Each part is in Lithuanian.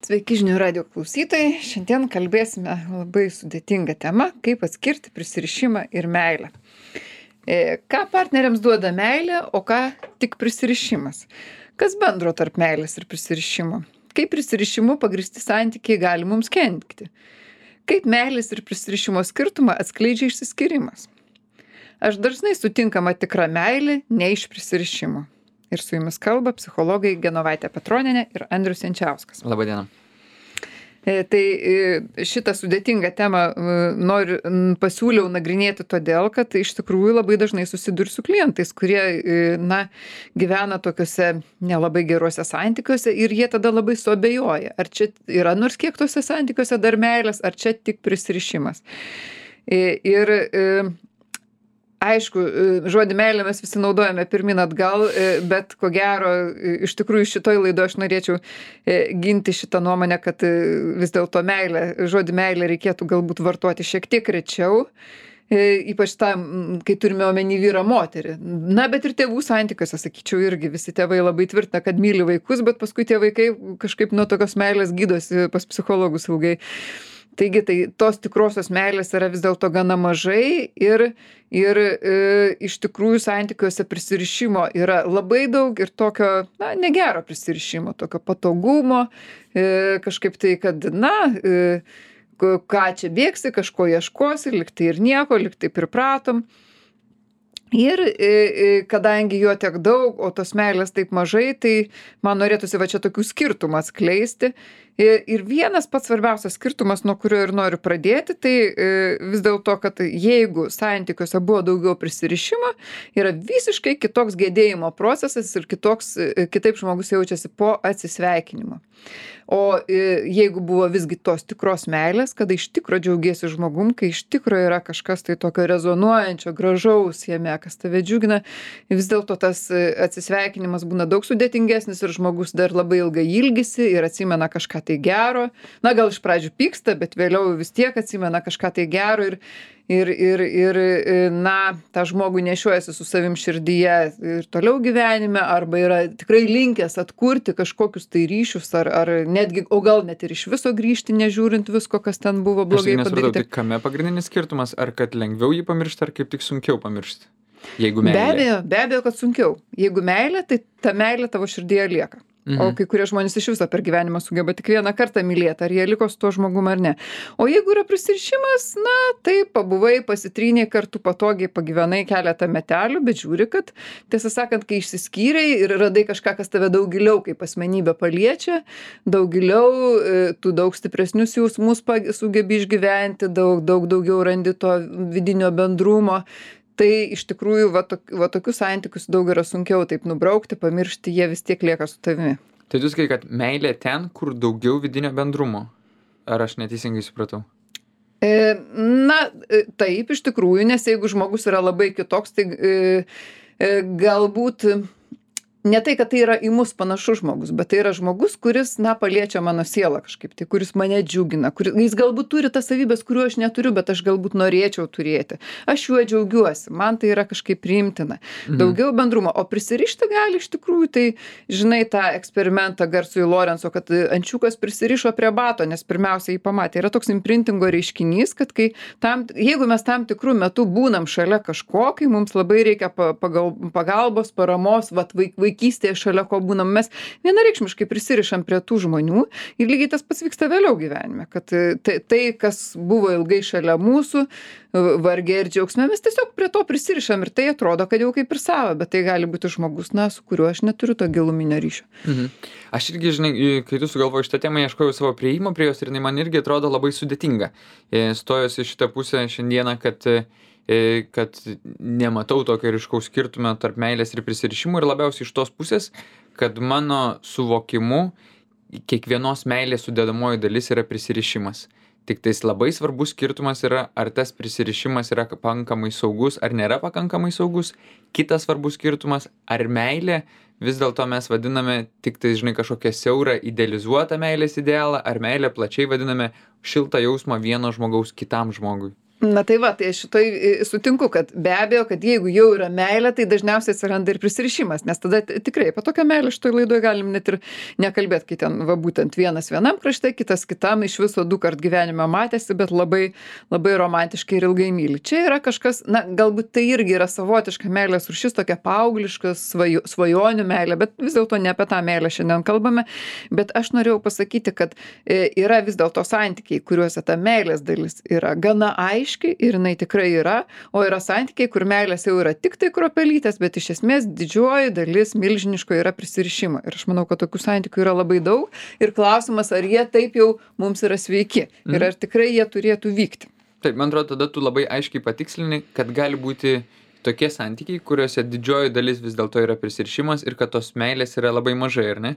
Sveiki žinių radio klausytojai. Šiandien kalbėsime labai sudėtingą temą, kaip atskirti prisirišimą ir meilę. Ką partneriams duoda meilė, o ką tik prisirišimas? Kas bendro tarp meilės ir prisirišimo? Kaip prisirišimu pagristi santykiai gali mums kenkti? Kaip meilės ir prisirišimo skirtumą atskleidžia išsiskyrimas? Aš dažnai sutinkama tikra meilė ne iš prisirišimo. Ir su jumis kalba psichologai Genovaitė Petronienė ir Andrius Jančiauskas. Labadiena. Tai šitą sudėtingą temą pasiūliau nagrinėti todėl, kad iš tikrųjų labai dažnai susiduriu su klientais, kurie gyvena tokiuose nelabai geruose santykiuose ir jie tada labai suabejoja, ar čia yra nors kiek tuose santykiuose dar meilės, ar čia tik prisirišimas. Ir aišku, žodį meilę mes visi naudojame pirmin atgal, bet ko gero, iš tikrųjų šitoj laidoje aš norėčiau ginti šitą nuomonę, kad vis dėlto žodį meilę reikėtų galbūt vartoti šiek tiek rečiau, ypač tam, kai turime omeny vyrą moterį. Na, bet ir tėvų santykiuose, sakyčiau, irgi visi tėvai labai tvirtina, kad myli vaikus, bet paskui tie vaikai kažkaip nuo tokios meilės gydosi pas psichologus ilgai. Taigi, tos tikrosios meilės yra vis dėlto gana mažai ir iš tikrųjų santykiuose prisirišimo yra labai daug ir tokio, negero prisirišimo, tokio patogumo, kažkaip tai, kad, ką čia bėgsi, kažko ieškosi, liktai ir nieko, liktai pripratom. Ir kadangi jo tiek daug, o tos meilės taip mažai, tai man norėtųsi va čia tokių skirtumų atskleisti. Ir vienas pats svarbiausias skirtumas, nuo kurio ir noriu pradėti, tai vis dėlto, kad jeigu santykiuose buvo daugiau prisirišimo, yra visiškai kitoks gedėjimo procesas ir kitaip žmogus jaučiasi po atsisveikinimo. O jeigu buvo visgi tos tikros meilės, kada iš tikro džiaugiesi žmogum, kai iš tikro yra kažkas tai tokio rezonuojančio, gražaus jame, kas tave džiugina, vis dėlto tas atsisveikinimas būna daug sudėtingesnis ir žmogus dar labai ilgai ilgisi ir atsimena kažką tai gero. Na, gal iš pradžių pyksta, bet vėliau vis tiek atsimena kažką tai gero ir tą žmogų nešiojasi su savim širdyje ir toliau gyvenime, arba yra tikrai linkęs atkurti kažkokius tai ryšius, ar netgi, o gal net ir iš viso grįžti, nežiūrint visko, kas ten buvo blogai padaryti. Tai kame pagrindinis skirtumas, ar kad lengviau jį pamiršti, ar kaip tik sunkiau pamiršti? Jeigu meilė. Be abejo, kad sunkiau. Jeigu meilė, tai ta meilė tavo širdyje lieka. O kai kurie žmonės iš viso per gyvenimą sugeba tik vieną kartą mylėti, ar jie liko su tuo žmogum ar ne. O jeigu yra prisirišimas, tai pabuvai, pasitryniai kartu patogiai, pagyvenai keletą metelių, bet žiūri, kad tiesą sakant, kai išsiskyrei ir radai kažką, kas tave daug giliau kaip asmenybę paliečia, daug giliau, tu daug stipresnius jausmus sugebi išgyventi, daugiau randi to vidinio bendrumo. Tai iš tikrųjų va tokius santykius daug yra sunkiau taip nubraukti, pamiršti, jie vis tiek lieka su tavimi. Tai tu sakai, kad meilė ten, kur daugiau vidinio bendrumo. Ar aš neteisingai supratau? Taip, iš tikrųjų, nes jeigu žmogus yra labai kitoks, tai galbūt ne tai, kad tai yra į mus panašus žmogus, bet tai yra žmogus, kuris, paliečia mano sielą kažkaip, tai kuris mane džiugina, jis galbūt turi tas savybės, kurių aš neturiu, bet aš galbūt norėčiau turėti. Aš juo džiaugiuosi, man tai yra kažkaip priimtina. Daugiau bendrumo, o prisirišti gali iš tikrųjų, tai žinai tą eksperimentą garsųjį Lorenzo, kad ančiukas prisirišo prie bato, nes pirmiausia jį pamatė. Yra toks imprintingo reiškinys, kad jeigu mes tam tikrų metų būnam šalia kažko, kai mums labai reikia pagalbos, paramos, vaikystėje šalia ko būnam, mes vienareikšmiškai prisirišam prie tų žmonių ir lygiai tas pats vyksta vėliau gyvenime, kad tai kas buvo ilgai šalia mūsų, varge ir džiaugsme, mes tiesiog prie to prisirišam ir tai atrodo, kad jau kaip ir savo, bet tai gali būti žmogus, su kuriuo aš neturiu to giluminio ryšio. Aš irgi, žinai, kai tu sugalvojai šitą temą, ieškojau savo prieimo prie jos ir jinai man irgi atrodo labai sudėtinga. Stojosi šitą pusę šiandieną, kad nematau tokio ryškaus skirtumo tarp meilės ir prisirišimų ir labiausiai iš tos pusės, kad mano suvokimu kiekvienos meilės sudedamoji dalis yra prisirišimas. Tik tais labai svarbus skirtumas yra, ar tas prisirišimas yra pakankamai saugus, ar nėra pakankamai saugus. Kitas svarbus skirtumas, ar meilė vis dėlto mes vadiname tik tai, kažkokią siaurą idealizuotą meilės idealą, ar meilę plačiai vadiname šiltą jausmą vieno žmogaus kitam žmogui. Na tai va, tai aš šitoj sutinku, kad be abejo, kad jeigu jau yra meilė, tai dažniausiai atsiranda ir prisirišimas, nes tada tikrai apie tokią meilę šitoj laidoje galim net ir nekalbėti, kai ten va būtent vienas vienam krašte, kitas kitam iš viso 2 kart gyvenime matėsi, bet labai, labai romantiškai ir ilgai myli. Čia yra kažkas, na galbūt tai irgi yra savotiška meilės rūšis, tokia paaugliška svajonių meilė, bet vis dėlto ne apie tą meilę šiandien kalbame, bet aš norėjau pasakyti, kad yra vis dėlto santykiai, kuriuose ta meilės dalis yra gana aiški ir jinai tikrai yra, o yra santykiai, kur meilės jau yra tik tai kruopelytės, bet iš esmės didžioji dalis milžiniško yra prisirišimo. Ir aš manau, kad tokių santykių yra labai daug ir klausimas, ar jie taip jau mums yra sveiki ir ar tikrai jie turėtų vykti. Taip, man atrodo, tada tu labai aiškiai patikslini, kad gali būti tokie santykiai, kuriuose didžioji dalis vis dėlto yra prisirišimas ir kad tos meilės yra labai mažai, ar ne?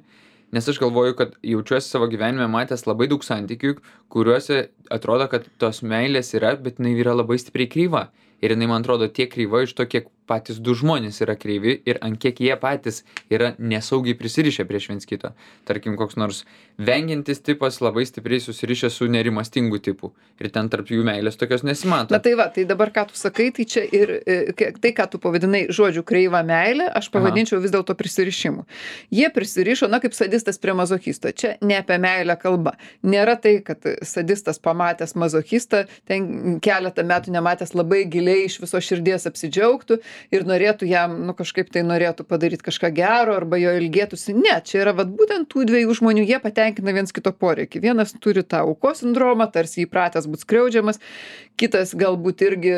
Nes aš galvoju, kad jaučiuosi savo gyvenime matęs labai daug santykių, kuriuose atrodo, kad tos meilės yra, bet jinai yra labai stipriai kryva. Ir jinai, man atrodo, tiek kryva iš to, kiek patys 2 žmonės yra kreivi ir ant kiek jie patys yra nesaugiai prisirišę prieš viens kito. Tarkim, koks nors vengiantis tipas labai stipriai susirišę su nerimastingu tipu. Ir ten tarp jų meilės tokios nesimato. Na tai va, tai dabar ką tu sakai, tai čia ir tai, ką tu pavadinai žodžiu kreivą meilę, aš pavadinčiau vis dėlto prisirišimu. Jie prisirišo, na kaip sadistas prie mazochisto. Čia ne apie meilę kalba. Nėra tai, kad sadistas pamatęs mazochistą, ten keletą metų nematęs labai giliai iš viso širdies apsidžiaugtų ir norėtų jam, nu kažkaip tai norėtų padaryti kažką gero arba jo ilgėtųsi. Ne, čia yra vat būtent tų 2 žmonių, jie patenkina viens kito poreikį. Vienas turi tą aukos sindromą, tarsi įpratęs būt skriaudžiamas, kitas galbūt irgi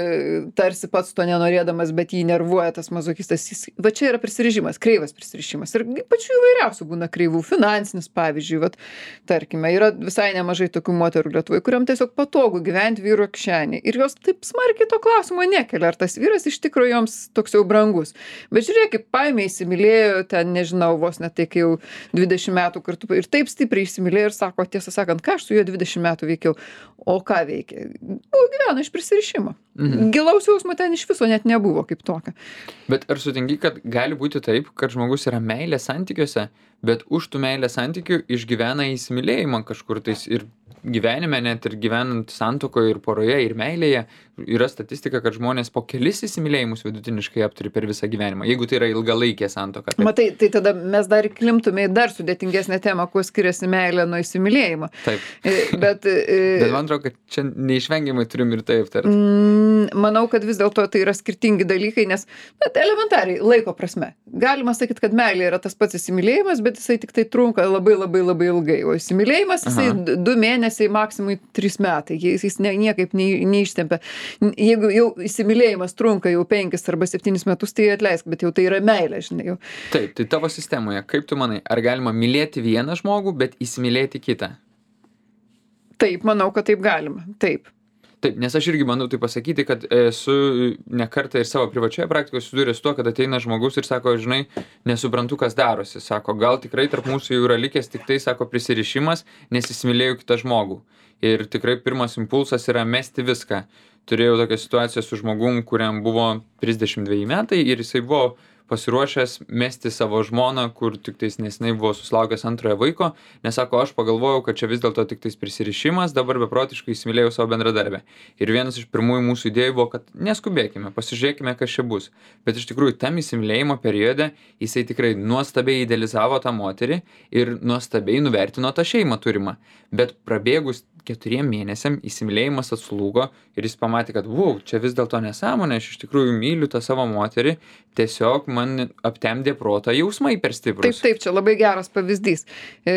tarsi pats to nenorėdamas, bet jį nervuoja tas mazochistas. Va čia yra prisirišimas, kreivas prisirišimas. Ir pačių įvairiausių būna kreivų, finansinis pavyzdžiui. Vat, tarkime, yra visai nemažai tokių moterų Lietuvoje, kuriam tiesiog patogu gyventi vyro kišenėje. Ir jos taip smarkiai to klausimo nekelia, ar tas vyras iš tikrųjų joms toks jau brangus. Bet žiūrėk, kaip paėmė įsimylėjo, ten nežinau, vos net tai, kai jau 20 metų kartu ir taip stipriai įsimylėjo ir sako, tiesą sakant, ką aš su juo 20 metų veikiau. O ką veikė? Gyvena iš prisirišimo. Gilaus jausmo ten iš viso net nebuvo kaip tokio. Bet ar sutinki, kad gali būti taip, kad žmogus yra meilės santykiuose, bet už tų meilės santykių išgyvena įsimylėjimą kažkur tais ir gyvenime, net ir gyvenant santuokoje ir poroje ir meilėje, yra statistika, kad žmonės po kelis įsimylėjimus vidutiniškai apturi per visą gyvenimą, jeigu tai yra ilgalaikė santuoka. Matai, tai tada mes dar įklimptume į dar sudėtingesnę temą, kuo skiriasi meilė nuo įsimylėjimo. Taip. Bet man atrodo, kad čia neišvengiamai turim ir tai aptarti. Manau, kad vis dėlto tai yra skirtingi dalykai, nes elementariai laiko prasme. Galima sakyti, kad meilė yra tas pats įsimylėjimas, bet jisai tik tai trunka labai labai labai ilgai, o įsimylėjimas jisai 2 mėnesiai, maksimui 3 metai, jis niekaip neištempia. Jeigu jau įsimylėjimas trunka jau 5 arba 7 metus, tai atleisk, bet jau tai yra meilė, žinai jau. Taip, tai tavo sistemoje, kaip tu manai, ar galima mylėti vieną žmogų, bet įsimylėti kitą? Taip, manau, kad taip galima, taip. Taip, nes aš irgi bandau tai pasakyti, kad esu ne kartą ir savo privačioje praktikoje susidūręs su tuo, kad ateina žmogus ir sako, žinai, nesuprantu, kas darosi. Sako, gal tikrai tarp mūsų jau yra likęs tik tai, sako, prisirišimas, nes įsimylėjau kitą žmogų. Ir tikrai pirmas impulsas yra mesti viską. Turėjau tokią situaciją su žmogum, kuriam buvo 32 metai ir jisai buvo pasiruošęs mesti savo žmoną, kur tik tais nesenai buvo susilaukęs 2 vaiko, nes sako, aš pagalvojau, kad čia vis dėlto tik tais prisirišimas, dabar beprotiškai įsimylėjau savo bendradarbę. Ir vienas iš pirmųjų mūsų idėjų buvo, kad neskubėkime, pasižiūrėkime, kas čia bus. Bet iš tikrųjų, tam įsimylėjimo periode jisai tikrai nuostabiai idealizavo tą moterį ir nuostabiai nuvertino tą šeimą turimą. Bet prabėgus 4 mėnesiam įsimylėjimas atslūgo ir jis pamatė, kad čia vis dėlto nesąmonė, aš iš tikrųjų myliu tą savo moterį, tiesiog man aptemdė protą jausmai per stiprus. Taip, čia labai geras pavyzdys,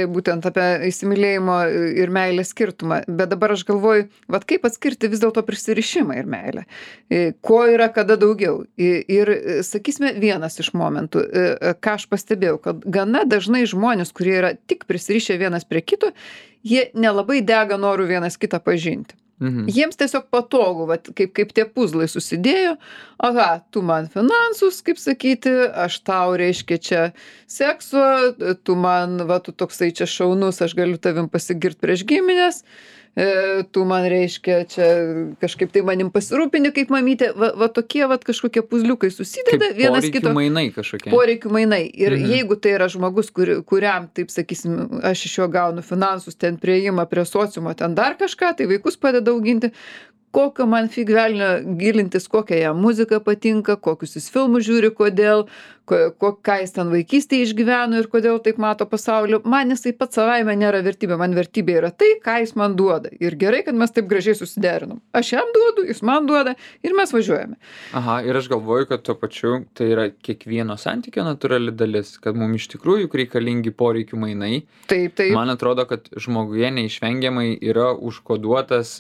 būtent apie įsimylėjimo ir meilės skirtumą. Bet dabar aš galvoju, kaip atskirti vis dėlto prisirišimą ir meilę. Ko yra kada daugiau. Ir sakysime, vienas iš momentų, ką aš pastebėjau, kad gana dažnai žmonės, kurie yra tik prisirišę vienas prie kito, jie nelabai dega noru vienas kitą pažinti. Jiems tiesiog patogu, kaip tie puzlai susidėjo, tu man finansus, kaip sakyti, aš tau reiškia čia sekso, tu man, tu toksai čia šaunus, aš galiu tavim pasigirti prieš giminės, tu man reiškia čia kažkaip tai manim pasirūpini kaip mamytė, tokie kažkokie puzliukai susideda kaip vienas kito. Poreikių mainai kažkokie. Poreikių mainai. Ir jeigu tai yra žmogus, kuriam, taip sakysim, aš iš jo gaunu finansus, ten prieimą prie sociumo, ten dar kažką, tai vaikus padeda auginti, kokio man fig velnio gilintis, kokia jam muzika patinka, kokius jis filmus žiūri, kodėl, ką jis ten vaikystėje išgyveno ir kodėl taip mato pasaulį. Man jisai pats savaime nėra vertybė, man vertybė yra tai, ką jis man duoda. Ir gerai, kad mes taip gražiai susiderinom. Aš jam duodu, jis man duoda ir mes važiuojame. Aha, ir aš galvoju, kad tuo pačiu tai yra kiekvieno santykio natūrali dalis, kad mums iš tikrųjų reikalingi poreikių mainai. Taip. Man atrodo, kad žmoguje neišvengiamai yra užkoduotas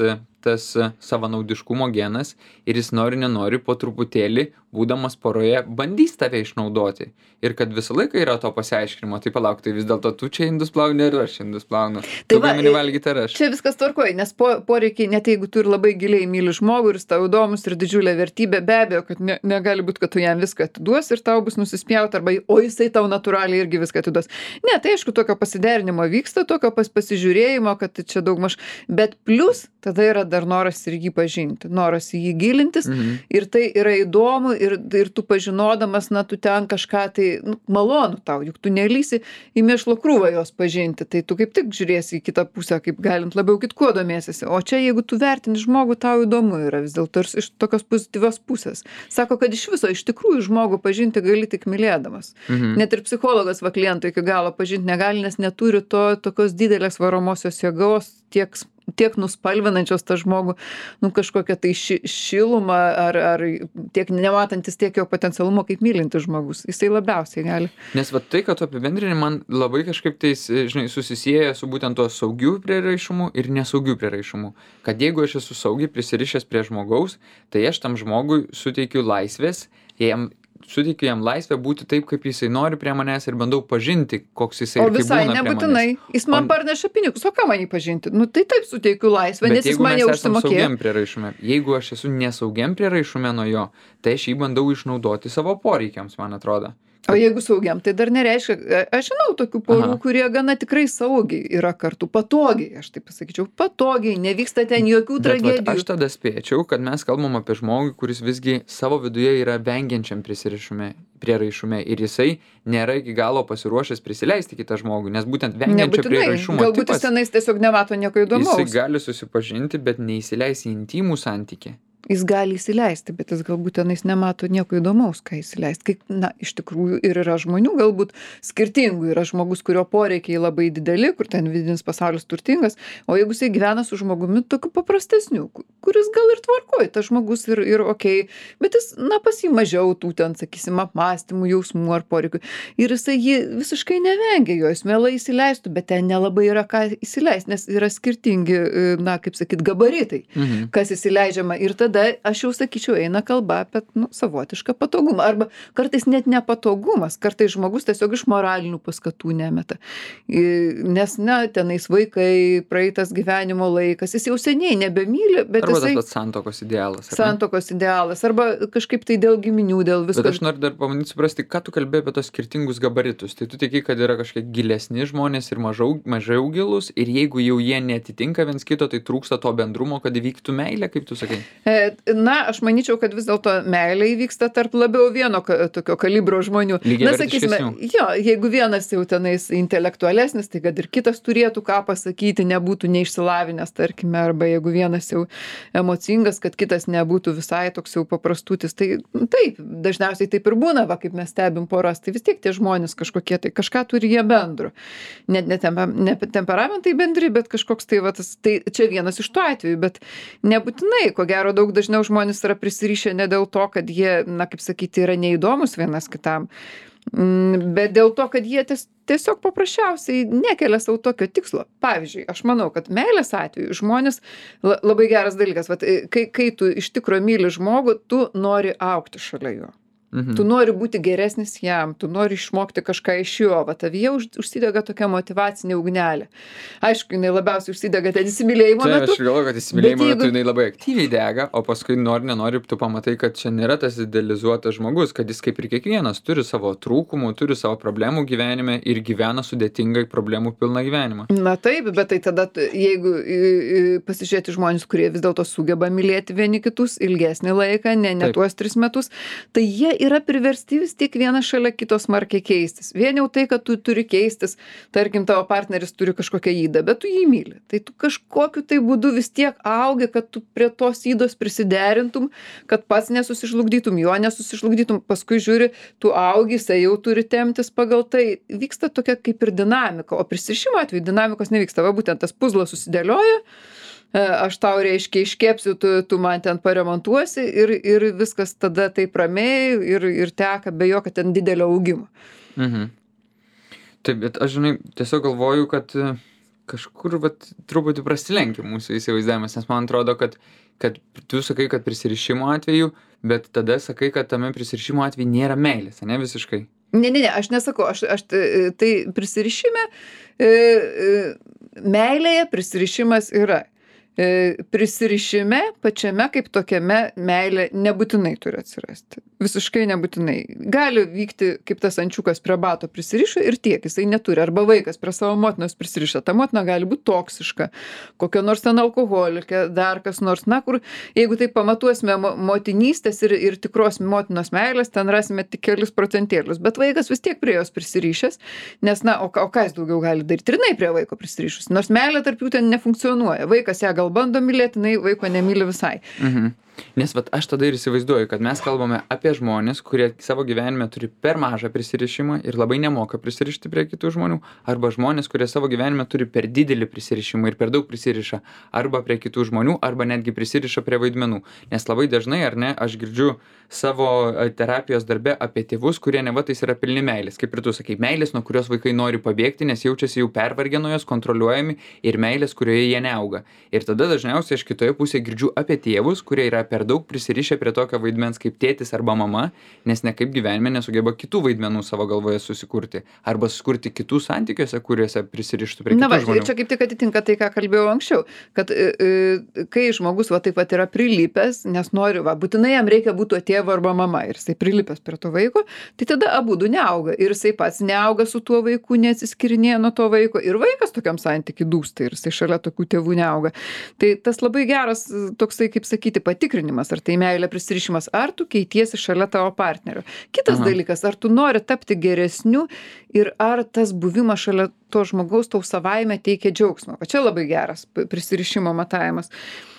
tas savanaudiškumo genas ir jis nori nenori po truputėlį, būdamas poroje, bandys tave išnaudoti. Ir kad visą laiką yra to pasiaiškinimo, tai palauk, tai vis dėlto tu čia indus plauni ir aš indus plaunu. Tu gamini valgyti ar aš. Čia viskas tvarkoja, nes poreikiai, net jeigu tu ir labai giliai myli žmogų ir jis tau įdomus ir didžiulė vertybė, be abejo, kad negali būti, kad tu jam viską atiduos ir tau bus nusispjauti, arba o jisai tau natūraliai irgi viską atiduos. Ne, tai aišku, tokio pasiderinimo vyksta, tokio pasižiūrėjimo, kad čia daugmaž, bet plus tada yra dar noras ir jį pažinti, noras į jį gilintis ir tai yra įdomu ir tu pažinodamas, na, tu ten kažką tai malonu tau, juk tu nelysi į mėšlo krūvą jos pažinti, tai tu kaip tik žiūrėsi į kitą pusę, kaip galint labiau kitkuo domėsiesi. O čia, jeigu tu vertini žmogų, tau įdomu yra vis dėlto ir iš tokios pozityvios pusės. Sako, kad iš viso, iš tikrųjų žmogų pažinti gali tik mylėdamas. Net ir psichologas va kliento iki galo pažinti negali, nes neturi tokios didelės varomosios jėgos, tiek nuspalvinančios tą žmogų, kažkokią tai šilumą ar tiek nematantis tiek jo potencialumo kaip mylintis žmogus. Jisai labiausiai gali. Nes va tai, kad tu apibendrini, man labai kažkaip tai, žinai, susisieja su būtent tuo saugiu prieraišumu ir nesaugiu prieraišumu. Kad jeigu aš esu saugiai prisirišęs prie žmogaus, tai aš tam žmogui suteikiu laisvės, suteikiu jam laisvę būti taip, kaip jisai nori prie manęs ir bandau pažinti, koks jisai ir kaip būna prie manęs. O visai nebūtinai. Jis man parneša pinigus, o ką man jį pažinti? Tai taip suteikiu laisvę, nes jis man jau užsimokėjo. Jeigu aš esu nesaugiam prieraišume nuo jo, tai aš jį bandau išnaudoti savo poreikiams, man atrodo. O jeigu saugiam, tai dar nereiškia, aš žinau tokių porų, kurie gana tikrai saugiai yra kartu, patogiai, aš taip pasakyčiau, patogiai, nevyksta ten jokių tragedijų. Bet aš tada spėčiau, kad mes kalbam apie žmogų, kuris visgi savo viduje yra vengiančiam prieraišume ir jisai nėra iki galo pasiruošęs prisileisti kitą žmogų, nes būtent vengiančio prieraišumo tipas. Galbūt jis tenais tiesiog nemato nieko įdomaus. Jisai gali susipažinti, bet neįsileis į intimų santykį. Jis gali įsileisti, bet jis galbūt tenais nemato nieko įdomaus, ką įsileisti. Iš tikrųjų ir yra žmonių galbūt skirtingų. Yra žmogus, kurio poreikiai labai dideli, kur ten vidinis pasaulis turtingas, o jeigu jisai gyvena su žmogumi tokiu paprastesniu, kuris gal ir tvarkoja, tas žmogus ir okei, bet jis, pas jį mažiau tų ten, sakysim, apmąstymų, jausmų ar poreikių. Ir jisai jį visiškai nevengia jo, jis mielai įsileistų, bet ten nelabai yra ką įsileisti, nes yra skirtingi, kaip sakyt, gabaritai, kas įsileidžiama. Ir tada aš jau sakyčiau, eina kalba apie savotišką patogumą. Arba kartais net nepatogumas, kartais žmogus tiesiog iš moralinių paskatų nemeta. Nes, tenais vaikai, praeitas gyvenimo laikas, jis jau seniai nebemyli, bet arba jisai... Arba tas santokos idealas. Santokos idealas, arba kažkaip tai dėl giminių, dėl visko. Bet aš noriu dar pamanyti suprasti, ką tu kalbėjai apie tos skirtingus gabaritus. Tai tu tiki, kad yra kažkiek gilesni žmonės ir mažiau gilus, ir jeigu jau jie netitinka viens kito, tai trūksta to bendrumo, kad įvyktų meilė, kaip tu sakai. Aš manyčiau, kad vis dėlto meilė įvyksta tarp labiau vieno tokio kalibro žmonių. Sakysime, jeigu vienas jau tenais intelektualesnis, tai kad ir kitas turėtų ką pasakyti, nebūtų neišsilavinęs, tarkime, arba jeigu vienas jau emocingas, kad kitas nebūtų visai toks jau paprastutis. Tai taip, dažniausiai taip ir būna, kaip mes stebim poras, tai vis tiek tie žmonės kažkokie, tai kažką turi jie bendro. Net ne temperamentai bendri, bet kažkoks tai čia vienas iš tų atvejų, bet nebūtinai, ko gero daug dažniau žmonės yra prisirišę ne dėl to, kad jie, kaip sakyti, yra neįdomus vienas kitam, bet dėl to, kad jie tiesiog paprasčiausiai nekelia savo tokio tikslo. Pavyzdžiui, aš manau, kad meilės atveju žmonės, labai geras dalykas, kai tu iš tikro myli žmogų, tu nori augti šalia jo. Tu nori būti geresnis jam, tu nori išmokti kažką iš jo, tavyje užsidega tokia motyvacinė ugnelė. Aišku, jinai labiausiai užsidega ten įsimylėjimo metu. Aš galvoju, kad įsimylėjimo metu jinai labai aktyviai dega, o paskui nenori, tu pamatai, kad čia nėra tas idealizuotas žmogus, kad jis kaip ir kiekvienas turi savo trūkumų, turi savo problemų gyvenime ir gyvena sudėtingai problemų pilną gyvenimą. Na taip, bet tai tada, jeigu pasižiūrėti žmonės, kurie vis dėlto sugeba mylėti vieni kitus ilgesnį laiką, ne tuos 3 metus, tai jie yra priversti vis tiek vienas šalia kito smarkiai keistis. Vien jau tai, kad tu turi keistis, tarkim, tavo partneris turi kažkokią ydą, bet tu jį myli. Tai tu kažkokiu tai būdu vis tiek augi, kad tu prie tos ydos prisiderintum, kad pats nesusižlugdytum, jo nesusižlugdytum, paskui žiūri, tu augi, jisai jau turi temptis pagal tai. Vyksta tokia kaip ir dinamika, o prisirišimo atveju dinamikos nevyksta. Va būtent tas puzlas susidėlioja, aš tau reiškia iškepsiu, tu man ten paremontuosi ir viskas tada taip ramiai ir teka be jokio ten didelio augimo. Taip, bet aš, žinai, tiesiog galvoju, kad kažkur truputį prasilenkia mūsų įsivaizdavimas, nes man atrodo, kad tu sakai, kad prisirišimo atveju, bet tada sakai, kad tame prisirišimo atveju nėra meilės, ne visiškai. Ne, aš nesakau, aš tai prisirišime, meilėje prisirišimas yra. Prisirišime pačiame kaip tokiame meilė nebūtinai turi atsirasti. Visiškai nebūtinai. Gali vykti kaip tas ančiukas prie bato prisirišo ir tiek, jisai neturi. Arba vaikas prie savo motinos prisiriša. Ta motina gali būti toksiška, kokia nors ten alkoholikė, dar kas nors. Na, kur, jeigu tai pamatuosime motinystės ir tikros motinos meilės, ten rasime tik kelis procentėlius. Bet vaikas vis tiek prie jos prisirišęs, nes, na, o ką jis daugiau gali daryti? Ir jinai prie vaiko prisirišus. Nors meilė tarp jų ten nefunkcionuoja. Vaikas ją gal bando mylėti, jinai vaiko nemyli visai. Nes aš tada ir įsivaizduoju, kad mes kalbame apie žmonės, kurie savo gyvenime turi per mažą prisirišimą ir labai nemoka prisirišti prie kitų žmonių, arba žmonės, kurie savo gyvenime turi per didelį prisirišimą ir per daug prisiriša arba prie kitų žmonių, arba netgi prisiriša prie vaidmenų. Nes labai dažnai, ar ne, aš girdžiu savo terapijos darbe apie tėvus, kurie nevatais yra pilni meilės. Kaip ir tu sakai, meilės, nuo kurios vaikai nori pabėgti, nes jaučiasi jau pervargę nuo jos, kontroliuojami, ir meilės, kurioje jie neauga. Ir tada dažniausiai aš kitoje pusėje girdžiu apie tėvus, kurie yra per daug prisirišę prie tokio vaidmens kaip tėtis arba mama, nes nekaip gyvenime nesugeba kitų vaidmenų savo galvoje susikurti. Arba susikurti kitų santykiuose, kuriuose prisirištų prie kitų žmonių. Čia kaip tik atitinka tai, ką kalbėjau anksčiau, kad kai žmogus taip pat yra prilipęs, nes nori, būtinai jam reikia būti tėvo arba mama, ir jisai prilipęs prie to vaiko, tai tada abudu neauga. Ir jisai pats neauga su tuo vaiku, neatsiskirinėja nuo to vaiko, ir vaikas tokiam santykiui dūsta, ir jisai šalia tokių tėvų neauga. Tai tas labai geras toksai, kaip sakyti, patikrinimas, ar tai meilė prisirišimas, ar tu keitiesi šalia tavo partnerio. Kitas dalykas, ar tu nori tapti geresniu ir ar tas buvimas šalia to žmogaus tau savaime teikia džiaugsmą. Va čia labai geras prisirišimo matavimas.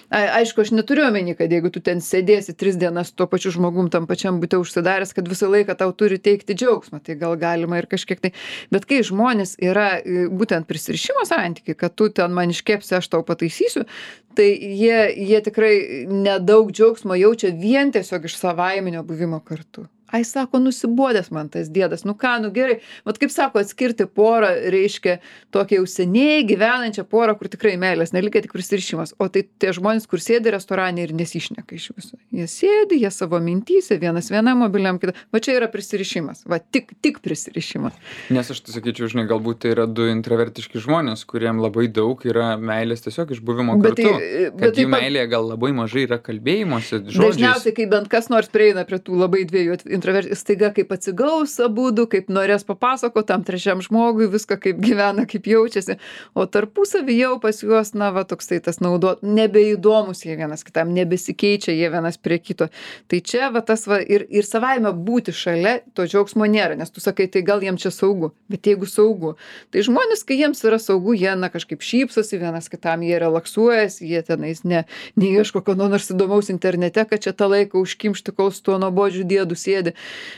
Aišku, aš neturiu omeny, kad jeigu tu ten sėdėsi 3 dienas tuo pačiu žmogum tam pačiam bute užsidaręs, kad visą laiką tau turi teikti džiaugsmą, tai gal galima ir kažkiek tai. Bet kai žmonės yra būtent prisirišimo santykiai, kad tu ten man iškepsi, aš tau pataisysiu, tai jie tikrai nedaug džiaugsmo jaučia vien tiesiog iš savaiminio buvimo kartu. Ai, sako, nusibodęs man tas dėdas, nu ką, nu gerai. Vat kaip sako, atskirti porą reiškia tokią jau seniai gyvenančią porą, kur tikrai meilės nelikia, tik prisirišimas. O tai tie žmonės, kur sėdi restorane ir nesišneka iš viso. Jie sėdi, jie savo mintyse, vienas vienam mobiliam kitą. Va čia yra prisirišimas. Va tik prisirišimas. Nes aš tai sakyčiau, žinai, galbūt tai yra du intravertiški žmonės, kuriem labai daug yra meilės tiesiog iš buvimo kartu. Kad jų meilėje gal labai mažai yra kalbėjimosi žodžiais. Dažniausiai, kai bent kas nors prieina prie tų labai dviejų staiga kaip atsigaus abudu, kaip norės papasako tam trečiam žmogui viską, kaip gyvena, kaip jaučiasi, o tarpusavy jau pas juos, na, va, toksai tas nebeįdomus jie vienas kitam, nebesikeičia jie vienas prie kito. Tai čia, va, tas, va, ir savaime būti šalia, to džiaugsmo nėra, nes tu sakai, tai gal jiems čia saugu, bet jeigu saugu, tai žmonės, kai jiems yra saugu, jie, na, kažkaip šypsosi, vienas kitam jie relaksuojasi, jie tenais neieško ko nors įdomaus internete, kad čia tą laiką užkimšti, kol su tuo nuobodžiu dėdu sėdi.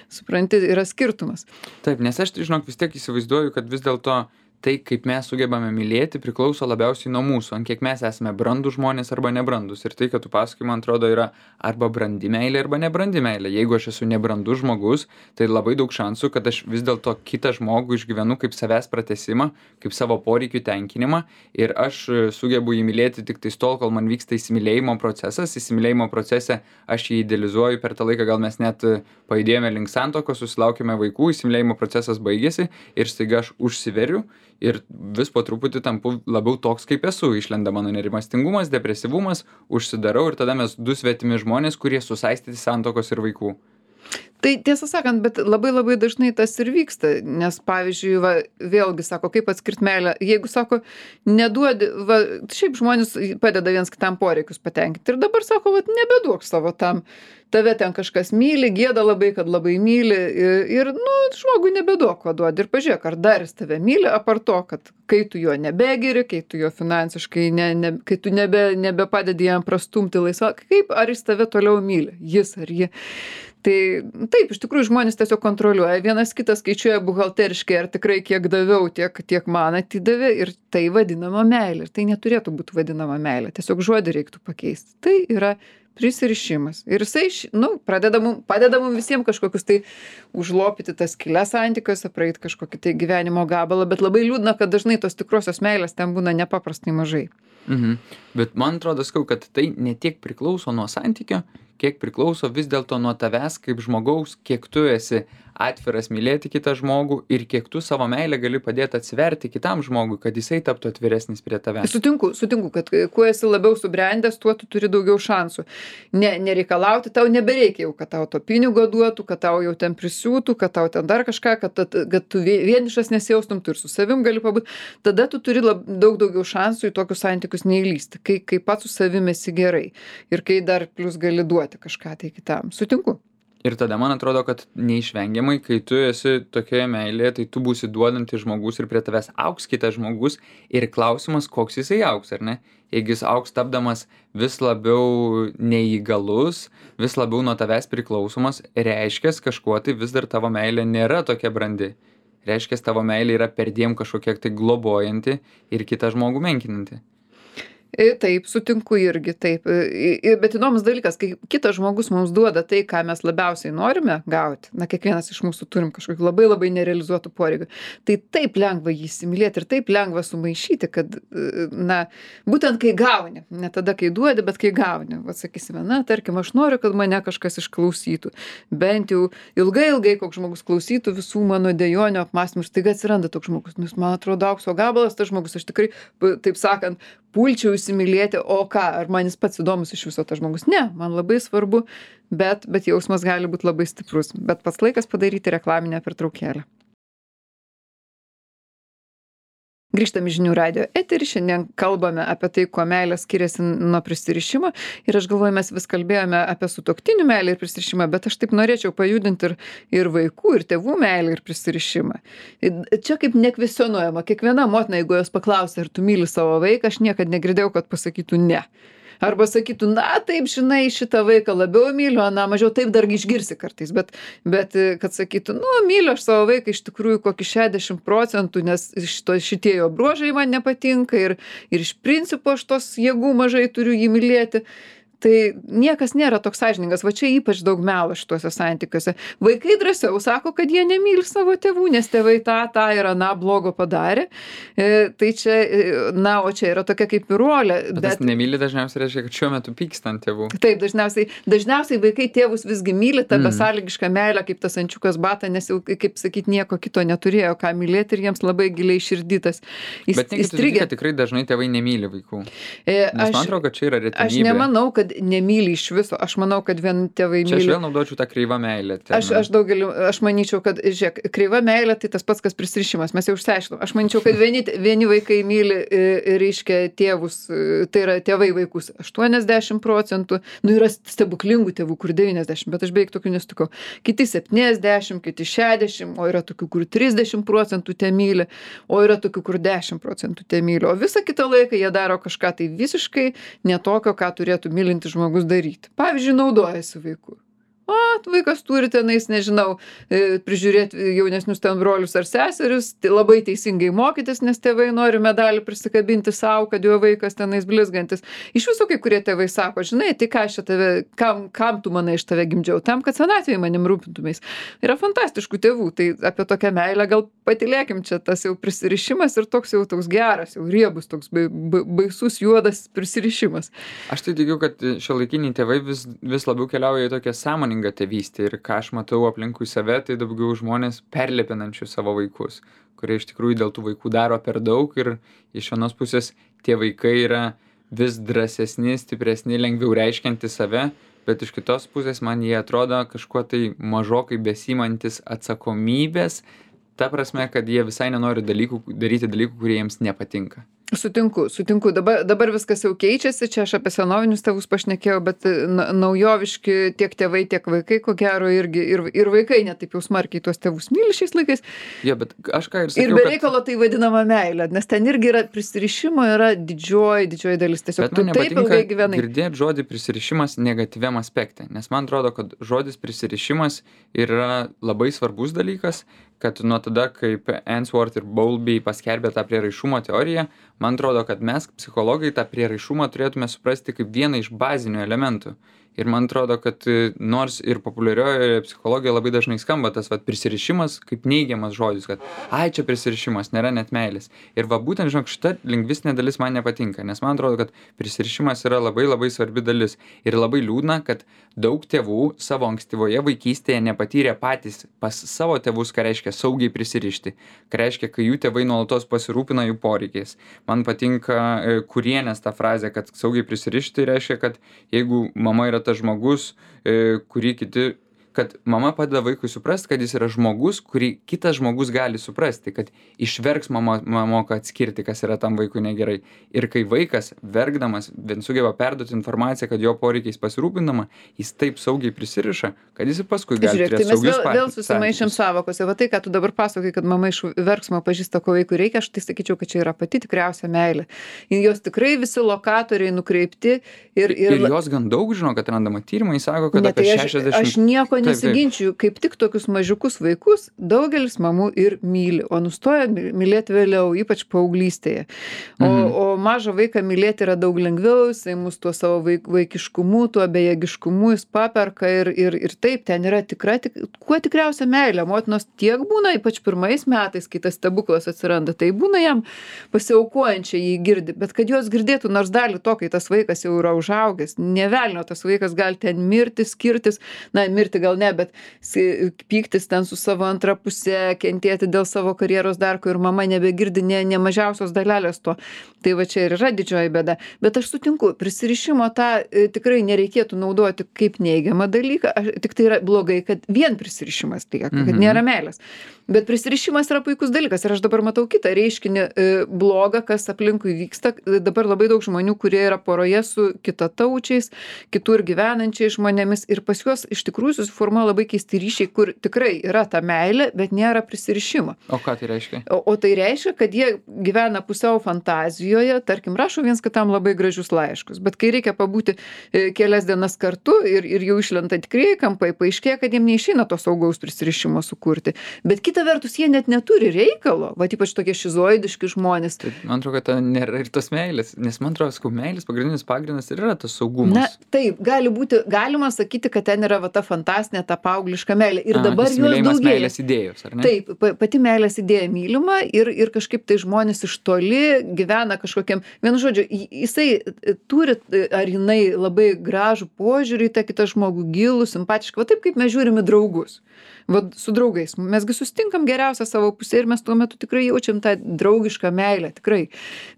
Supranti, yra skirtumas. Taip, nes aš, žinok, vis tiek įsivaizduoju, kad vis dėlto tai, kaip mes sugebame mylėti, priklauso labiausiai nuo mūsų, ant kiek mes esame brandūs žmonės arba nebrandūs. Ir tai, kad tu pasakai, man atrodo, yra arba brandi meilė, arba nebrandi meilė. Jeigu aš esu nebrandus žmogus, tai labai daug šansų, kad aš vis dėlto kitą žmogų išgyvenu kaip savęs pratesimą, kaip savo poreikių tenkinimą, ir aš sugebu jį mylėti tik tais tol, kol man vyksta įsimylėjimo procesas. Įsimylėjimo procese aš jį idealizuoju, per tą laiką gal mes net pajudėjome link santuokos, susilaukėme vaikų, įsimylėjimo procesas baigėsi ir staiga aš užsiveriu. Ir vis po truputį tampu labiau toks, kaip esu. Išlenda mano nerimastingumas, depresyvumas, užsidarau ir tada mes du svetimi žmonės, kurie susaistyti santuokos ir vaikų. Tai tiesą sakant, bet labai dažnai tas ir vyksta, nes pavyzdžiui, va, vėlgi sako, kaip atskirt meilę, jeigu sako, neduodi, va, šiaip žmonės padeda viens kitam poreikius patenkinti ir dabar sako, va, nebeduok savo tam, tave ten kažkas myli, gėda labai, kad labai myli ir nu, žmogui nebeduok, ko duodi ir pažiūrėk, ar dar jis tave myli, apart to, kad kai tu jo nebegiri, kai tu jo finansiškai, kai tu nebepadedi jam prastumti laisvą, kaip, ar jis tave toliau myli, jis ar ji. Tai taip, iš tikrųjų žmonės tiesiog kontroliuoja, vienas kitas skaičiuoja buhalteriškai, ar tikrai kiek daviau, tiek man atidavė ir tai vadinama meilė. Ir tai neturėtų būti vadinama meilė, tiesiog žodį reiktų pakeisti. Tai yra prisirišimas. Ir jisai, padeda mum visiems kažkokius tai užlopyti tas skylės santykiuose, praeiti kažkokį tai gyvenimo gabalą, bet labai liūdna, kad dažnai tos tikrosios meilės ten būna nepaprastai mažai. Bet man atrodo, kad tai ne tiek priklauso nuo santykio, kiek priklauso vis dėlto nuo tavęs kaip žmogaus, kiek tu esi atviras mylėti kitą žmogų ir kiek tu savo meilę gali padėti atsiverti kitam žmogui, kad jisai taptų atviresnis prie tavęs. Sutinku, kad kuo esi labiau subrendęs, tuo tu turi daugiau šansų. Nereikalauti, tau nebereikia jau, kad tau to pinigo duotų, kad tau jau ten prisiūtų, kad tau ten dar kažką, kad tu vienišas nesijaustum, tu ir su savim gali pabūti. Tada tu turi daug daugiau šansų į tokius santykius neįlysti, kai pats su savim esi gerai ir kai dar plus gali duoti kažką tai kitam. Sutinku. Ir tada man atrodo, kad neišvengiamai, kai tu esi tokioje meilėje, tai tu būsi duodantis žmogus ir prie tavęs augs kitas žmogus ir klausimas, koks jisai augs, ar ne? Jeigu jis augs tapdamas vis labiau neįgalus, vis labiau nuo tavęs priklausomas, reiškia kažkuo tai vis dar tavo meilė nėra tokia brandi. Reiškia, tavo meilė yra perdėm kažkokia tai globojanti ir kitą žmogų menkinanti. Taip, sutinku irgi, taip. Bet įdomus dalykas, kai kitas žmogus mums duoda tai, ką mes labiausiai norime gauti, kiekvienas iš mūsų turim kažkokį labai nerealizuotų poreikių, tai taip lengva jį įsimylėti ir taip lengva sumaišyti, kad, būtent kai gauni, ne tada, kai duodi, bet kai gauni. Vat sakysime, tarkim, aš noriu, kad mane kažkas išklausytų, bent jau ilgai koks žmogus klausytų visų mano dejonių apmąstymų ir staiga atsiranda toks žmogus, man atrodo aukso gabalas, tas žmogus, aš tikrai, taip sakant, pulčiau įsimylėti, o ką, ar man jis pats įdomus iš viso tas žmogus? Ne, man labai svarbu, bet jausmas gali būti labai stiprus. Bet pats laikas padaryti reklaminę pertraukėlę. Grįžtam į Žinių radijo eterį, šiandien kalbame apie tai, kuo meilė skiriasi nuo prisirišimo ir aš galvoju, mes vis kalbėjome apie sutuoktinių meilę ir prisirišimą, bet aš taip norėčiau pajudinti ir vaikų, ir tėvų meilę ir prisirišimą. Čia kaip nekvesionuojama, kiekviena motina, jeigu jos paklausia, ar tu myli savo vaiką, aš niekad negirdėjau, kad pasakytų ne. Arba sakytų, taip, žinai, šitą vaiką labiau myliu, mažiau, taip dar išgirsi kartais, bet kad sakytų, myliu aš savo vaiką iš tikrųjų kokį 60%, nes šitie jo bruožai man nepatinka ir iš principo aš tos jėgų mažai turiu jį mylėti. Tai niekas nėra toks sąžiningas, va čia ypač daug melo šituose santykiuose. Vaikai drąsiau sako, kad jie nemyli savo tėvų, nes tėvai tą ir blogo padarė. Tai čia, o čia yra tokia kaip ir rolė. Bet nemyli dažniausiai reiškia, kad šiuo metu pyksta ant tėvų. Taip, dažniausiai vaikai tėvus visgi myli tą besąlygišką meilę, kaip tas ančiukas bata, nes jau, kaip sakyt, nieko kito neturėjo, ką mylėti ir jiems labai giliai širdytas. Bet nekit, tikrai dažnai tėvai nemyli vaikų. Nes man atrodo, kad čia yra retenybė. Aš nemanau, kad nemyli iš viso. Aš manau, kad vien tėvai myli. Čia aš vėl naudočiau tą kreivą meilę. Aš manyčiau, kad, žiūrėk, kreiva meilė tai tas pats, kas prisirišimas. Mes jau išsiaiškinom. Aš manyčiau, kad vieni vaikai myli, reiškia, tėvus, tai yra tėvai vaikus 80%, yra stebuklingų tėvų, kur 90%, bet aš beveik tokių nesutikau. Kiti 70%, kiti 60%, o yra tokių, kur 30% te myli, o yra tokių, kur 10% te myli. O visą kitą laiką jie daro kažką tai visiškai netokio, ką turėtų mylinti žmogus daryti. Pavyzdžiui, naudojasi vaiku. Vaikas turi tenais, nežinau, prižiūrėti jaunesnius ten brolius ar seseris, labai teisingai mokytis, nes tėvai nori medalį prisikabinti savo, kad jo vaikas tenais blizgantis. Iš viso kai kurie tėvai sako, žinai, tai ką aš tave, kam tu manai iš tave gimdžiau, tam, kad senatvėje manim rūpintumės. Yra fantastiškų tėvų, tai apie tokią meilę gal patylėkim, čia tas jau prisirišimas ir toks geras, jau riebus, toks baisus juodas prisirišimas. Aš tai tikiu, kad šiuolaikiniai tėvai vis labiau keliauja į tokią sąmoningą tėvystę ir ką aš matau aplinkui save, tai daugiau žmonės perlepinančių savo vaikus, kurie iš tikrųjų dėl tų vaikų daro per daug ir iš vienos pusės tie vaikai yra vis drąsesni, stipresni, lengviau reiškianti save, bet iš kitos pusės man jie atrodo kažkuo tai mažokai besiimantis atsakomybės, ta prasme, kad jie visai nenori daryti dalykų, kurie jiems nepatinka. Sutinku. Dabar viskas jau keičiasi, čia aš apie senovinius tėvus pašnekėjau, bet naujoviški tiek tėvai, tiek vaikai, ko gero, irgi ir vaikai netaip jau smarkiai tuos tėvus myli šiais laikais. Ja, bet aš ką ir sakiau, ir be reikalo tai vadinama meilė, nes ten irgi yra prisirišimo, yra didžioji dalis. Tiesiog tu taip ilgai gyvenai. Girdėti žodį prisirišimas negatyviam aspekte, nes man atrodo, kad žodis prisirišimas yra labai svarbus dalykas, kad nuo tada, kaip Ainsworth ir Bowlby paskelbė tą prieraišumo teoriją, man atrodo, kad mes, psichologai, tą prieraišumą turėtume suprasti kaip vieną iš bazinių elementų. Ir man atrodo, kad nors ir populiariojoje psichologijoje labai dažnai skamba tas prisirišimas kaip neigiamas žodis, kad čia prisirišimas, nėra net meilės. Ir būtent, žinok, šita lingvistinė dalis man nepatinka, nes man atrodo, kad prisirišimas yra labai labai svarbi dalis. Ir labai liūdna, kad daug tėvų savo ankstyvoje vaikystėje nepatyrė patys pas savo tėvus, ką reiškia saugiai prisirišti, ką reiškia, kai jų tėvai nuolatos pasirūpina jų poreikiais. Man patinka Kurienės ta frazė, kad saugiai prisirišti reiškia, kad jeigu mama yra tas žmogus, kad mama padeda vaikui suprasti, kad jis yra žmogus, kurį kitas žmogus gali suprasti, kad išverks mama moka atskirti, kas yra tam vaikui negerai. Ir kai vaikas, verkdamas, sugeba perduoti informaciją, kad jo poreikiais pasirūpinama, jis taip saugiai prisiriša, kad jis paskui gali turėti saugius santykius. Vėl susimaišėm savokose. Va tai, ką tu dabar pasakai, kad mama iš verksmo pažįsta, ko vaikui reikia, aš tai sakyčiau, kad čia yra pati tikriausia meilė. Jos tikrai visi lokatoriai nukreipti ir jos gan daug žino, kad randama tyrimai, sako, kad apie 60... Aš nieko nesiginčiu, kaip tik tokius mažiukus vaikus daugelis mamų ir myli, o nustoja mylėti vėliau, ypač paauglystėje. O mažą vaiką mylėti yra daug lengviau, jisai mus tuo savo vaikiškumu, tuo bejėgiškumu jis paperka ir taip, ten yra kuo tikriausia meilė. Motinos tiek būna, ypač pirmais metais, kai tas stebuklas atsiranda, tai būna jam pasiaukojančiai jį girdi, bet kad jos girdėtų nors dalį to, kai tas vaikas jau yra užaugęs, nevelnio, tas vaikas gali ten mirti, skirtis, mirti gal ne, bet pyktis ten su savo antra pusė, kentėti dėl savo karjeros darko ir mama nebegirdi ne mažiausios dalelės to. Tai va čia ir yra didžioji bėda. Bet aš sutinku, prisirišimo tą tikrai nereikėtų naudoti kaip neigiamą dalyką. Tik tai yra blogai, kad vien prisirišimas lieka, kad nėra meilės. Bet prisirišimas yra puikus dalykas. Ir aš dabar matau kitą reiškinį blogą, kas aplinkui vyksta. Dabar labai daug žmonių, kurie yra poroje su kitataučiais, kitur gyvenančiais žmonėmis. Ir pas juos iš tikrųjų susiformuoja labai keisti ryšiai, kur tikrai yra ta meilė, bet nėra prisirišimo. O ką tai reiškia? O tai reiškia, kad jie gyvena pusiau fantazijoje, tarkim, rašo viens kitam labai gražius laiškus. Bet kai reikia pabūti kelias dienas kartu ir jau išlenda tikrieji kampai, paaiškėja, kad jiem neišeina to saugaus prisirišimo sukurti. Bet kita vertus, jie net neturi reikalo, va ypač tokie šizoidiški žmonės. Tai, man atrodo, kad nėra ir tos meilės, nes man atrodo, meilės pagrindinis pagrindas ir yra tas saugumas. Na, taip, galima sakyti, kad ten yra va ta fantastinė, ta paaugliška meilė. Ir dabar jos daugėja. Meilės idėjos, ar ne? Taip, pati meilės idėja mylima ir kažkaip tai žmonės iš toli gyvena kažkokiam, vienu žodžiu, jisai turi ar jinai labai gražų požiūrį į tą kitą žmogų, gilų, simpatišką, va taip kaip mes žiūrime draugus. Va su draugais. Mesgi sustinkam geriausią savo pusę ir mes tuo metu tikrai jaučiam tą draugišką meilę, tikrai.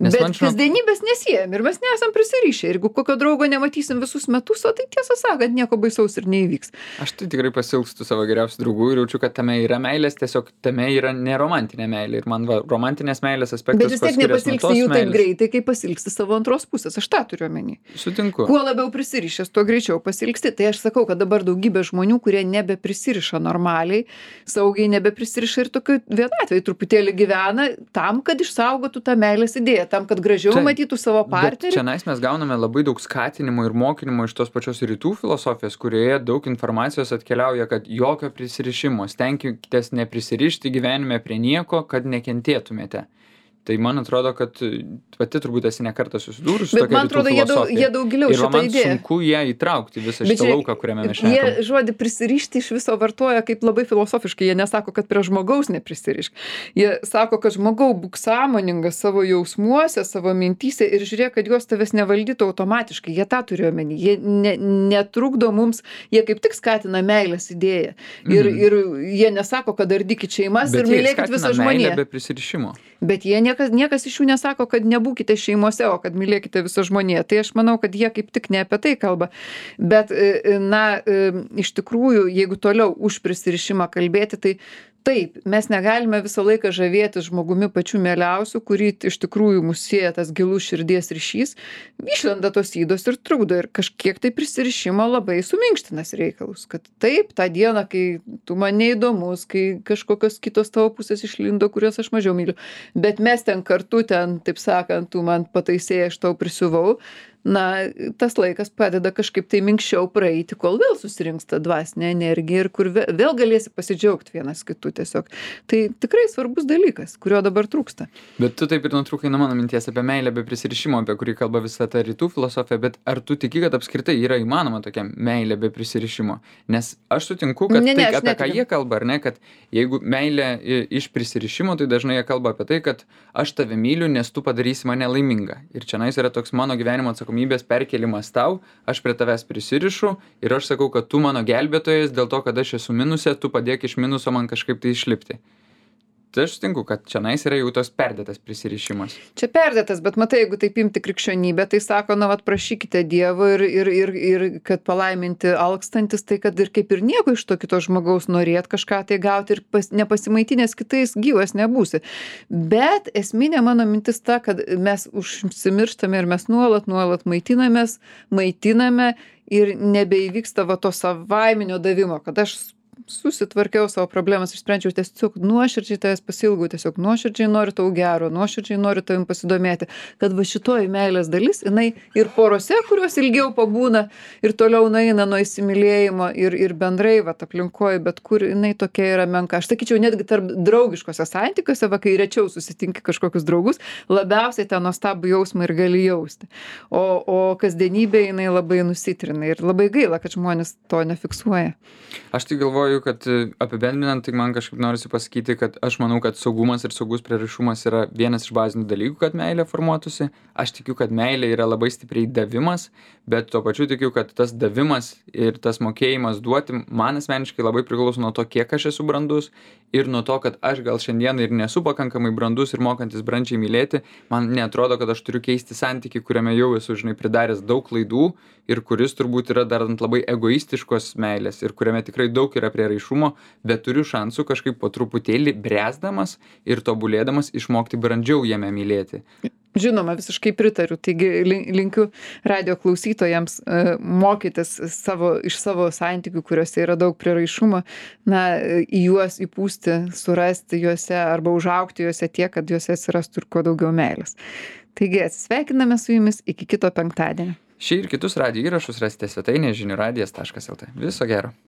Bet kasdienybės nesiejam ir mes nesam prisirišę. Ir jeigu kokio draugo nematysim visus metus, o tai tiesą sakant, nieko baisaus ir neįvyks. Aš tai tikrai pasilgstu savo geriausių draugų ir jaučiu, kad tame yra meilės, tiesiog tame yra neromantinė meilė. Ir man romantinės meilės aspektas. Bet vis tiek nepasilgsti jų taip greitai, kaip pasilgsti savo antros pusės. Aš tą turiu omeny. Sutinku. Kuo labiau prisirišęs, tuo greičiau pasilgsti. Tai aš sakau, kad dabar daugybė žmonių, kurie nebeprisiriša normaliai, saugiai nebeprisiriša ir tokiu vienatvėj truputėlį gyvena tam, kad išsaugotų tą meilės idėją, tam, kad gražiau matytų savo partnerį. Bet čia mes gauname labai daug skatinimo ir mokinimo iš tos pačios rytų filosofijos, kurioje daug informacijos atkeliauja, kad jokio prisirišimo, stenkitės neprisirišti gyvenime prie nieko, kad nekentėtumėte. Tai man atrodo, kad pati turbūt esi ne kartą susidūrusi su tokia rytų filosofija. Bet man atrodo, jie daug giliau šitą idėją. Ir man sunku ją įtraukti visą šitą lauką, kuriame mes šnekam. Jie žodį prisirišti iš viso vartoja kaip labai filosofiškai. Jie nesako, kad prie žmogaus neprisirišk. Jie sako, kad žmogau būk sąmoningas savo jausmuose, savo mintyse ir žiūrėk, kad juos tavęs nevaldytų automatiškai. Jie tą turi omeny. Jie netrukdo mums, jie kaip tik skatina meilės idėją. Ir jie nesako, kad ardykit šeimas ir mylėkit visą žmoniją. Bet jie skatina meilę be prisirišimo. Bet jie niekas iš jų nesako, kad nebūkite šeimose, o kad mylėkite visą žmoniją. Tai aš manau, kad jie kaip tik ne apie tai kalba. Bet, iš tikrųjų, jeigu toliau už prisirišimą kalbėti, tai taip, mes negalime visą laiką žavėtis žmogumi pačiu mieliausiu, kurį iš tikrųjų mus sieja tas gilus širdies ryšys, išlenda tos ydos ir trukdo ir kažkiek tai prisirišimo labai suminkštinas reikalus, kad taip, tą dieną, kai tu man neįdomus, kai kažkokios kitos tavo pusės išlindo, kurias aš mažiau myliu, bet mes ten kartu ten, taip sakant, tu man pataisėjai, aš tau prisiuvau, na, tas laikas padeda kažkaip tai minkščiau praeiti, kol vėl susirinks ta dvasinė energija ir kur vėl galėsi pasidžiaugti vienas kitu tiesiog. Tai tikrai svarbus dalykas, kurio dabar trūksta. Bet tu taip ir nutrūkai nuo mano minties apie meilę be prisirišimo, apie kurį kalba visa ta rytų filosofija, bet ar tu tiki, kad apskritai yra įmanoma tokia meilė be prisirišimo? Nes aš sutinku, kad tai, apie ką jie kalba, ar ne, kad jeigu meilė iš prisirišimo, tai dažnai jie kalba apie tai, kad aš tave myliu, nes tu padarysi mane laimingą. Ir čionais yra toks mano gyvenimo atsakomybės perkelimas tau, aš prie tavęs prisirišu ir aš sakau, kad tu mano gelbėtojas, dėl to, kad aš esu minuse, tu padėk iš minuso man kažkaip tai išlipti. Tai aš sutinku, kad čionais yra jau tos perdėtas prisirišimas. Čia perdėtas, bet matai, jeigu taip imti krikščionybę, tai sako, na, vat prašykite Dievo ir kad palaiminti alkstantis, tai kad ir kaip ir nieko iš to kito žmogaus norėt kažką tai gauti ir nepasimaitinęs kitais gyvas nebūsi. Bet esminė mano mintis ta, kad mes užsimirštame ir mes nuolat maitiname ir nebeįvyksta va to savaiminio davimo, kad aš susitvarkiau savo problemas, išsprendžiau, tiesiog nuoširdžiai tavęs pasilgau, tiesiog nuoširdžiai noriu tau gero, nuoširdžiai noriu tavim pasidomėti, kad va šitoji meilės dalis, jinai ir porose, kurios ilgiau pabūna ir toliau nueina nuo įsimylėjimo ir bendrai, va, aplinkoje, bet kur jinai tokia yra menka. Aš sakyčiau, netgi tarp draugiškose santykiuose, va, kai rečiau susitinki kažkokius draugus, labiausiai tą nuostabų jausmą ir gali jausti. O kasdienybė jinai labai nusitrina ir labai gaila, kad žmonės to nefiksuoja. Aš tai galvoju, kad apibendrinant, tai man kažkaip norisi pasakyti, kad aš manau, kad saugumas ir saugus prieraišumas yra vienas iš bazinių dalykų, kad meilė formuotųsi. Aš tikiu, kad meilė yra labai stipriai davimas, bet tuo pačiu tikiu, kad tas davimas ir tas mokėjimas duoti man asmeniškai labai priklauso nuo to, kiek aš esu brandus ir nuo to, kad aš gal šiandien ir nesu pakankamai brandus ir mokantis brandžiai mylėti. Man neatrodo, kad aš turiu keisti santykį, kuriame jau esu, žinai, pridaręs daug klaidų ir kuris turbūt yra dar ant labai egoistiškos meilės ir kuriame tikrai daug yra prieraišumo, bet turiu šansų kažkaip po truputėlį bręsdamas ir tobulėdamas išmokti brandžiau jame mylėti. Žinoma, visiškai pritariu. Taigi linkiu radijo klausytojams mokytis iš savo santykių, kuriuose yra daug prieraišumo, na, į juos įpūsti, surasti juose arba užaugti juose tiek, kad juose atsirastų ir kuo daugiau meilės. Taigi atsisveikiname su jumis iki kito penktadienio. Šį ir kitus radijo įrašus rasite svetainėje žinių radijas.lt. Viso gero.